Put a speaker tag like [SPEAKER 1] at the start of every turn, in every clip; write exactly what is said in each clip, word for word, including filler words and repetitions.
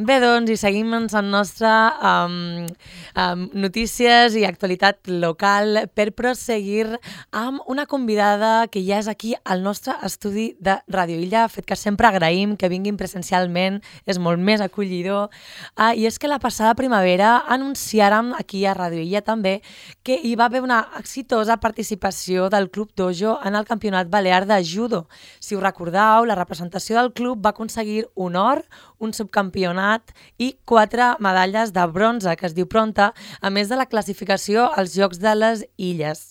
[SPEAKER 1] Bé, doncs, i seguim amb la nostra um, um, notícies i actualitat local per proseguir amb una convidada que ja és aquí al nostre estudi de Radio Illa, fet que sempre agraïm que vinguin presencialment, és molt més acollidor. Uh, I és que la passada primavera anunciàrem aquí a Radio Illa també que hi va haver una exitosa participació del Club Dojo en el Campionat Balear de Judo. Si us recordeu, la representació del club va aconseguir un or, un subcampionat i quatre medalles de bronze, que es diu pronta, a més de la classificació als Jocs de les Illes.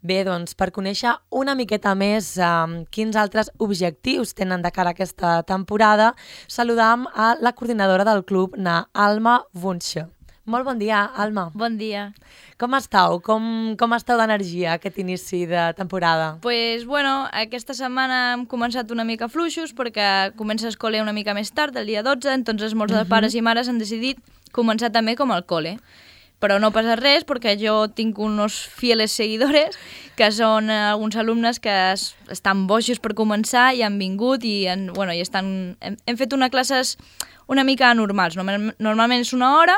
[SPEAKER 1] Bé, doncs, per conèixer una miqueta més um, quins altres objectius tenen de cara a aquesta temporada, saludam a la coordinadora del club, na Alma Wunsch. Molt bon dia, Alma.
[SPEAKER 2] Bon dia.
[SPEAKER 1] Com esteu? Com, com esteu d'energia aquest inici de temporada?
[SPEAKER 2] Pues, bueno, aquesta setmana hem començat una mica fluixos perquè comença el col·le una mica més tard, el dia dotze, entonces molts uh-huh. de pares i mares han decidit començar també com el col·le. Però no passa res perquè jo tinc uns fieles seguidores que són alguns alumnes que es, estan boixos per començar i han vingut i, han, bueno, i estan, hem, hem fet unes classes una mica anormals. Normalment és una hora,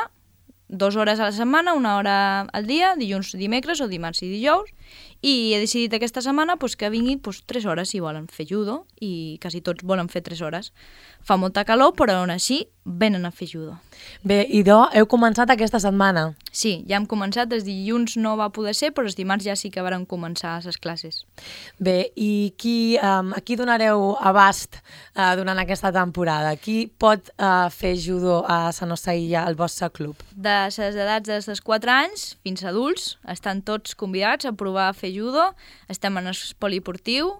[SPEAKER 2] dues hores a la setmana, una hora al dia, dilluns, dimecres o dimarts i dijous, i he decidit aquesta setmana pues, que vinguin pues, tres hores si volen fer judo, i quasi tots volen fer tres hores. Fa molta calor, però on així venen a fer judo.
[SPEAKER 1] Bé, i do, heu començat aquesta setmana?
[SPEAKER 2] Sí, ja hem començat, els dilluns no va poder ser, però els dimarts ja sí que varen començar les classes.
[SPEAKER 1] Bé, i qui, um, a qui donareu abast uh, durant aquesta temporada? Qui pot uh, fer judo a la nostra illa, al vostre club?
[SPEAKER 2] De les edats dels quatre anys fins a adults, estan tots convidats a provar a fer judo, estem en el poliportiu,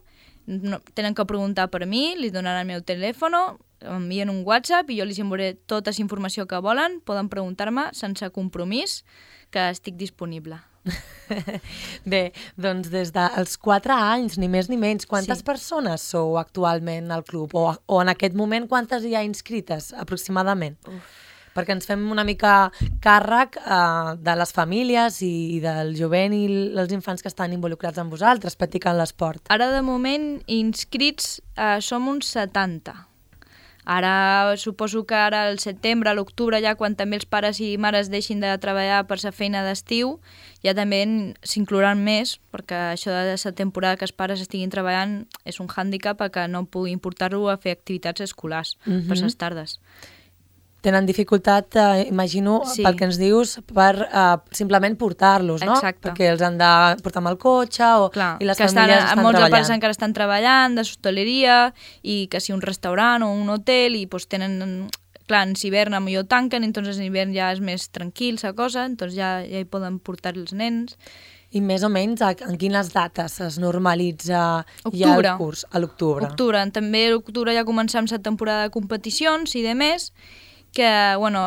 [SPEAKER 2] no, tenen que preguntar per mi, li donaran el meu telèfon, m'envien un WhatsApp i jo els enviaré tota la informació que volen, poden preguntar-me sense compromís, que estic disponible.
[SPEAKER 1] Bé, doncs des dels quatre anys, ni més ni menys, quantes
[SPEAKER 2] sí.
[SPEAKER 1] persones sou actualment al club? O, o en aquest moment quantes hi ha inscrites aproximadament? Uf. Perquè ens fem una mica càrrec uh, de les famílies i, i del jovent i els infants que estan involucrats amb vosaltres, practicant l'esport.
[SPEAKER 2] Ara, de moment, inscrits uh, som uns setanta. Ara, suposo que ara al setembre, a l'octubre, ja quan també els pares i mares deixin de treballar per la feina d'estiu, ja també s'inclouran més, perquè això de la temporada que els pares estiguin treballant és un hàndicap que no puguin portar-lo a fer activitats escolars uh-huh. per les tardes.
[SPEAKER 1] Tenen dificultat, eh, imagino, sí. pel que ens dius, per eh, simplement portar-los, no?
[SPEAKER 2] Exacte.
[SPEAKER 1] Perquè els han de portar amb el cotxe o,
[SPEAKER 2] clar,
[SPEAKER 1] i les
[SPEAKER 2] que
[SPEAKER 1] famílies
[SPEAKER 2] estan,
[SPEAKER 1] estan
[SPEAKER 2] molts
[SPEAKER 1] treballant.
[SPEAKER 2] Molts pares encara estan treballant, de hostaleria, i que si un restaurant o un hotel, i pues, tenen... Clar, en hivern a millor tanquen, entonces en hivern ja és més tranquil la cosa, entonces ja, ja hi poden portar els nens.
[SPEAKER 1] I més o menys en quines dates es normalitza
[SPEAKER 2] octubre.
[SPEAKER 1] Ja el curs? A l'octubre.
[SPEAKER 2] Octubre. També a l'octubre ja començam la temporada de competicions i de més, que bueno,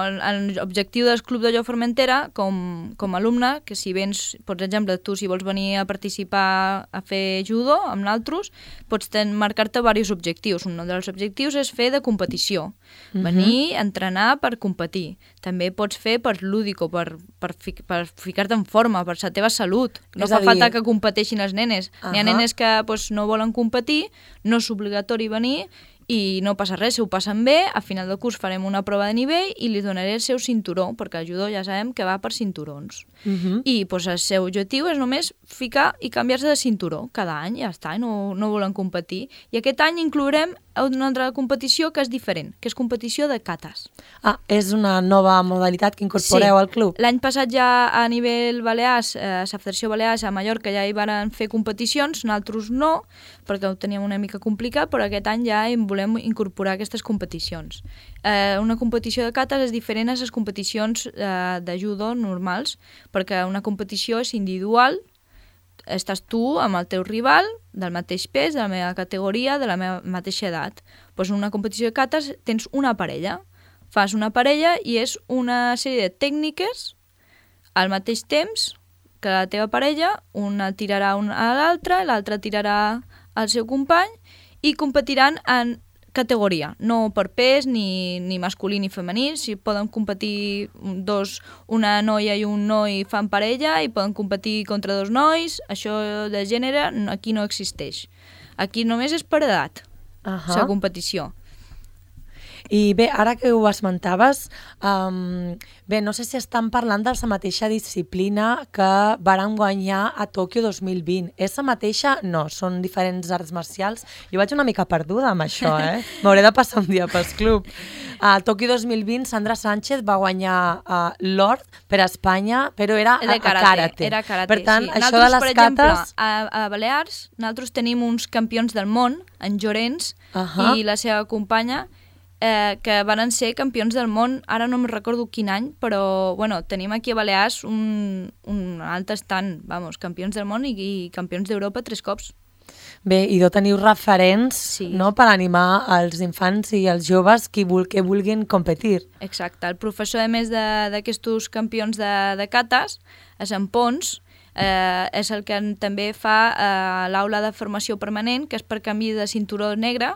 [SPEAKER 2] l'objectiu del Club Dojo Formentera com, com a alumne, que si vens, per exemple, tu si vols venir a participar a fer judo amb nosaltres, pots marcar-te diversos objectius. Un dels objectius és fer de competició, uh-huh. venir a entrenar per competir. També pots fer per lúdico, per, per, fi, per ficar-te en forma, per la teva salut. No és fa dir... falta que competeixin els nenes. Uh-huh. N'hi ha nenes que pues, no volen competir, no és obligatori venir, i no passa res, si ho passen bé, a final del curs farem una prova de nivell i li donaré el seu cinturó, perquè el judo ja sabem que va per cinturons. Uh-huh. I pues, el seu objectiu és només ficar i canviar-se de cinturó cada any, ja està, no, no volen competir. I aquest any inclourem una altra competició que és diferent, que és competició de katas.
[SPEAKER 1] Ah, és una nova modalitat que incorporeu
[SPEAKER 2] sí.
[SPEAKER 1] al club?
[SPEAKER 2] L'any passat ja a nivell Balears, eh, la Federació Balears a Mallorca ja hi van fer competicions, nosaltres no, perquè ho teníem una mica complicat, però aquest any ja hi volem incorporar aquestes competicions. Eh, una competició de katas és diferent a les competicions eh, de judo normals, perquè una competició és individual, estàs tu amb el teu rival del mateix pes, de la meva categoria, de la meva mateixa edat. Pues en una competició de katas tens una parella. Fas una parella i és una sèrie de tècniques al mateix temps que la teva parella, una tirarà a l'altra, l'altra tirarà al seu company i competiran en categoria, no per pes, ni, ni masculí ni femení. Si poden competir dos, una noia i un noi fan parella i poden competir contra dos nois, això de gènere aquí no existeix. Aquí només és per edat, uh-huh. la competició.
[SPEAKER 1] I bé, ara que ho esmentaves, um, bé, no sé si estan parlant de la mateixa disciplina que varen guanyar a Tòquio dos mil vint. És la mateixa? No, són diferents arts marcials. Jo vaig una mica perduda amb això, eh? M'hauré de passar un dia pel club. A Tòquio dos mil vint, Sandra Sánchez va guanyar uh, l'or per a Espanya, però era a,
[SPEAKER 2] karate,
[SPEAKER 1] a karate.
[SPEAKER 2] Era karate,
[SPEAKER 1] per tant,
[SPEAKER 2] sí.
[SPEAKER 1] això
[SPEAKER 2] Nosaltres,
[SPEAKER 1] de les
[SPEAKER 2] per exemple,
[SPEAKER 1] cates...
[SPEAKER 2] a, a Balears, nosaltres tenim uns campions del món, en Llorenç
[SPEAKER 1] uh -huh.
[SPEAKER 2] i la seva companya, eh, que van ser campions del món, ara no me'n recordo quin any, però bueno, tenim aquí a Balears un, un alt estant, vamos, campions del món i, i campions d'Europa tres cops.
[SPEAKER 1] Bé, i no teniu referents
[SPEAKER 2] sí.
[SPEAKER 1] no, per animar els infants i els joves que, vul que vulguin competir.
[SPEAKER 2] Exacte. El professor, a més d'aquests campions de, de cates, és en Pons, eh, és el que també fa eh, l'aula de formació permanent, que és per canvi de cinturó negre,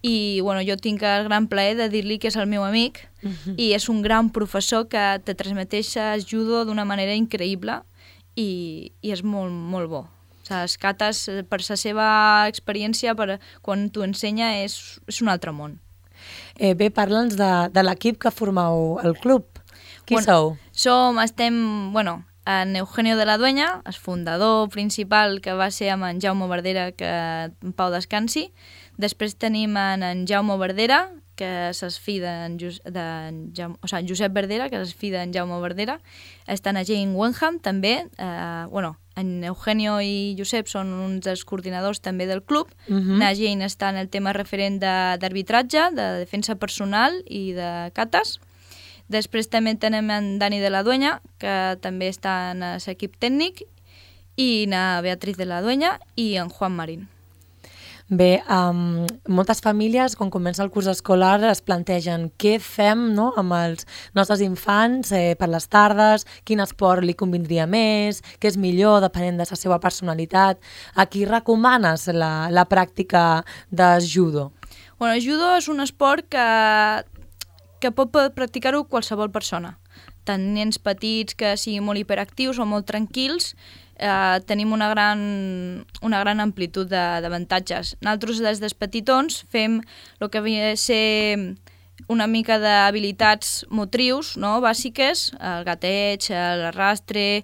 [SPEAKER 2] i bueno, jo tinc el gran plaer de dir-li que és el meu amic, uh-huh. i és un gran professor que te transmeteix el judo d'una manera increïble i, i és molt, molt bo. Les cates, per la seva experiència, per, quan t'ho ensenya, és, és un altre món.
[SPEAKER 1] Eh, bé, parla'ns de, de l'equip que formeu el club. Qui
[SPEAKER 2] bueno,
[SPEAKER 1] sou?
[SPEAKER 2] Som, estem, bueno, en Eugenio de la Dueña, el fundador principal, que va ser amb en Jaume Verdera, que en pau descansi. Després tenim en, en Jaume Verdera, que és el fill d'en Jaume, o sigui, Josep Verdera, que és el fill d'en Jaume Verdera. Està en Jane Wenham, també, eh, bueno, en Eugenio i Josep són uns dels coordinadors també del club. Uh-huh. Na Jane està en el tema referent d'arbitratge, de, de defensa personal i de cates. Després també tenem en Dani de la Dueña, que també està en l'equip tècnic, i na Beatriz de la Dueña i en Juan Marín.
[SPEAKER 1] Bé, um, moltes famílies, quan comença el curs escolar, es plantegen què fem no, amb els nostres infants eh, per les tardes, quin esport li convindria més, què és millor, depenent de la seva personalitat. A qui recomanes la, la pràctica de judo?
[SPEAKER 2] Bueno, el judo és un esport que, que pot practicar-ho qualsevol persona. Tant nens petits que siguin molt hiperactius o molt tranquils, eh, tenim una gran, una gran amplitud d'avantatges. Nosaltres, des dels petitons, fem el que havia de ser una mica d'habilitats motrius, no?, bàsiques, el gateig, l'arrastre,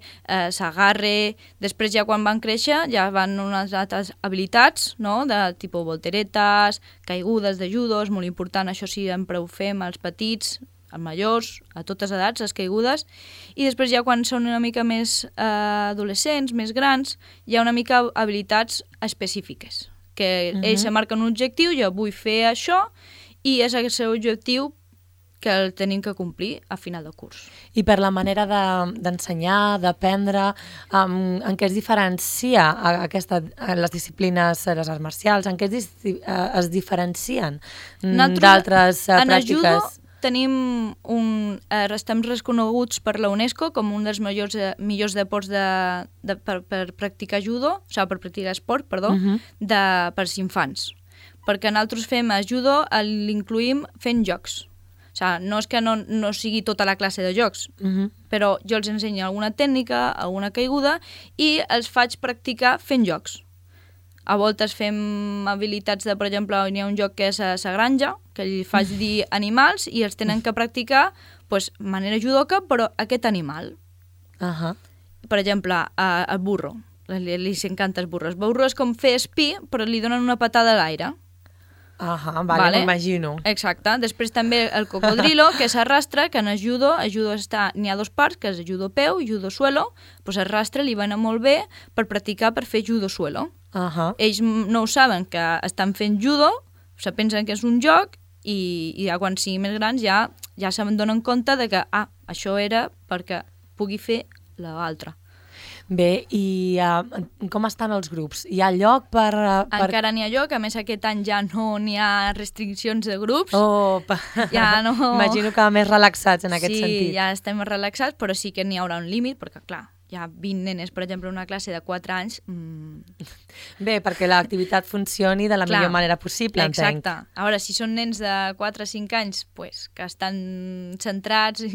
[SPEAKER 2] s'agarre. Després, ja quan van créixer, ja van unes altres habilitats, no?, de tipus volteretes, caigudes de judo, és molt important, això sí, sempre ho fem als petits, als majors, a totes edats, les caigudes, i després ja quan són una mica més eh, adolescents, més grans, hi ha una mica habilitats específiques, que uh-huh. ells se marquen un objectiu, jo vull fer això, i és el seu objectiu que el tenim que complir a final de curs.
[SPEAKER 1] I per la manera d'ensenyar, de, d'aprendre, um, en què es diferencia aquesta, les disciplines, les arts marcials, en què es, es diferencien d'altres uh, pràctiques?
[SPEAKER 2] Tenim un, eh, estem reconeguts per la UNESCO com un dels millors, eh, millors deports de, de, per, per practicar judo, o sigui, per practicar esport, perdó, uh-huh. de, per als infants. Perquè nosaltres fem a judo, l'incluïm fent jocs. O sigui, no és que no, no sigui tota la classe de jocs, uh-huh. però jo els ensenyo alguna tècnica, alguna caiguda, i els faig practicar fent jocs. A voltes fem habilitats de, per exemple, hi ha un joc que és a la granja, que li faig dir animals i els tenen que practicar pues, manera judoka, però aquest animal.
[SPEAKER 1] Uh-huh.
[SPEAKER 2] Per exemple, el burro. Li, li encanta el burro. El burro és com fer espí, però li donen una patada a l'aire.
[SPEAKER 1] Ahà, vale, vale. M'imagino.
[SPEAKER 2] Exacte. Després també el cocodrilo, que s'arrastra, que en el judo, el judo està, n'hi ha dos parts, que és el judo peu i judo suelo, doncs el rastre li va anar molt bé per practicar per fer judo suelo.
[SPEAKER 1] Uh-huh.
[SPEAKER 2] Ells no ho saben que estan fent judo, se pensen que és un joc i, i ja quan siguin més grans ja, ja se'n donen compte de que ah, això era perquè pugui fer l'altre.
[SPEAKER 1] Bé, i uh, com estan els grups? Hi ha lloc per, uh, per...
[SPEAKER 2] Encara n'hi ha lloc, a més aquest any ja no n'hi ha restriccions de grups.
[SPEAKER 1] Oh,
[SPEAKER 2] ja no...
[SPEAKER 1] Imagino que més relaxats en aquest
[SPEAKER 2] sí,
[SPEAKER 1] sentit.
[SPEAKER 2] Sí, ja estem relaxats, però sí que n'hi haurà un límit, perquè clar, hi ha vint nenes, per exemple, en una classe de quatre anys... Mmm...
[SPEAKER 1] Bé, perquè l'activitat funcioni de la Clar, millor manera possible, entenc.
[SPEAKER 2] Exacte. A veure, si són nens de quatre o cinc anys, pues, que estan centrats,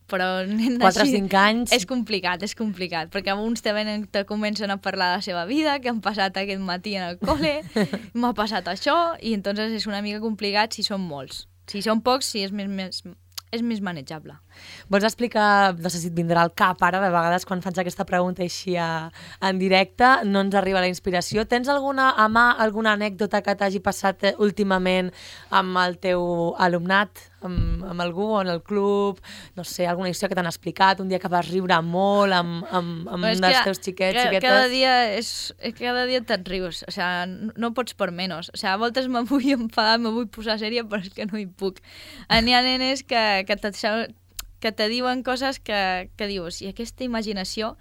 [SPEAKER 2] però nens
[SPEAKER 1] quatre o cinc anys...
[SPEAKER 2] És complicat, és complicat, perquè uns te venen, te comencen a parlar de la seva vida, que han passat aquest matí en el col·le, m'ha passat això, i entonces és una mica complicat si són molts. Si són pocs, sí, és més, més, és més manejable.
[SPEAKER 1] Vols explicar, no sé si et vindrà al cap ara, de vegades quan faig aquesta pregunta així a, en directe, no ens arriba la inspiració. Tens alguna, a mà, alguna anècdota que t'hagi passat últimament amb el teu alumnat, amb, amb algú o en el club, no sé, alguna història que t'han explicat, un dia que vas riure molt amb, amb, amb un dels teus xiquets,
[SPEAKER 2] que,
[SPEAKER 1] xiquetes?
[SPEAKER 2] Cada dia, és, cada dia te'n rius, o sea, no pots per menys. O sea, a voltes me vull enfadar, me vull posar sèria, però és que no hi puc. N'hi ha nenes que, que te, que te diuen coses que, que dius, i aquesta imaginació,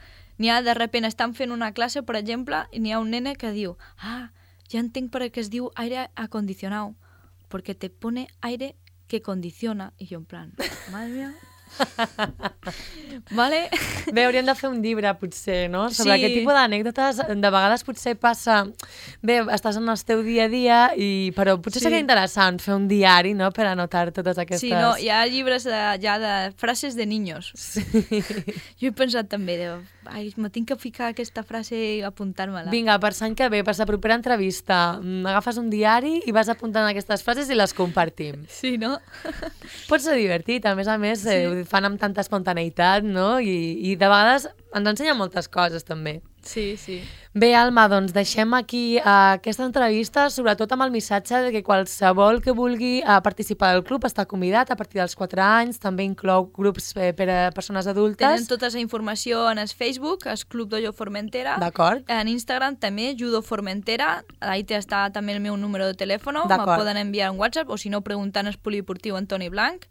[SPEAKER 2] n'hi ha de repente, estan fent una classe, per exemple, i n'hi ha un nene que diu, ah, ja entenc per què es diu aire acondicionado, perquè te pone aire que condiciona, i jo en plan, madre mía. Vale?
[SPEAKER 1] Bé, hauríem de fer un llibre, potser, no? Sobre
[SPEAKER 2] Sí.
[SPEAKER 1] aquest tipus d'anècdotes, de vegades potser passa... Bé, estàs en el teu dia a dia, i... però potser
[SPEAKER 2] Sí.
[SPEAKER 1] seria interessant fer un diari, no?, per anotar totes aquestes...
[SPEAKER 2] Sí, no, hi ha llibres de, ja de frases de niños.
[SPEAKER 1] Sí.
[SPEAKER 2] Jo he pensat també, de, ai, me tinc que ficar aquesta frase i apuntar-me-la.
[SPEAKER 1] Vinga, per l'any que ve, per la propera entrevista, mm, agafes un diari i vas apuntant aquestes frases i les compartim.
[SPEAKER 2] Sí, no?
[SPEAKER 1] Pot ser divertit, a més a més,
[SPEAKER 2] Sí.
[SPEAKER 1] eh, ho fan amb tanta espontaneïtat, no? I, i de vegades ens ensenya moltes coses, també.
[SPEAKER 2] Sí, sí.
[SPEAKER 1] Bé, Alma, doncs deixem aquí uh, aquesta entrevista, sobretot amb el missatge de que qualsevol que vulgui uh, participar del club està convidat a partir dels quatre anys, també inclou grups eh, per a persones adultes.
[SPEAKER 2] Tenen tota la informació en el Facebook, el Club Dojo Formentera.
[SPEAKER 1] D'acord.
[SPEAKER 2] En Instagram també, Judo Formentera. Ahí està també el meu número de telèfon. Me
[SPEAKER 1] D'acord.
[SPEAKER 2] poden enviar un WhatsApp o si no preguntant al polideportiu Antoni Blanc,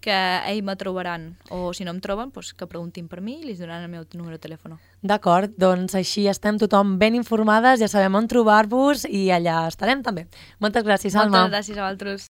[SPEAKER 2] que ells me trobaran. O si no em troben, doncs que preguntin per mi i li donaran el meu número de telèfon.
[SPEAKER 1] D'acord, doncs així estem tothom ben informades, ja sabem on trobar-vos i allà estarem també. Moltes gràcies, Alma.
[SPEAKER 2] Moltes gràcies a vosaltres.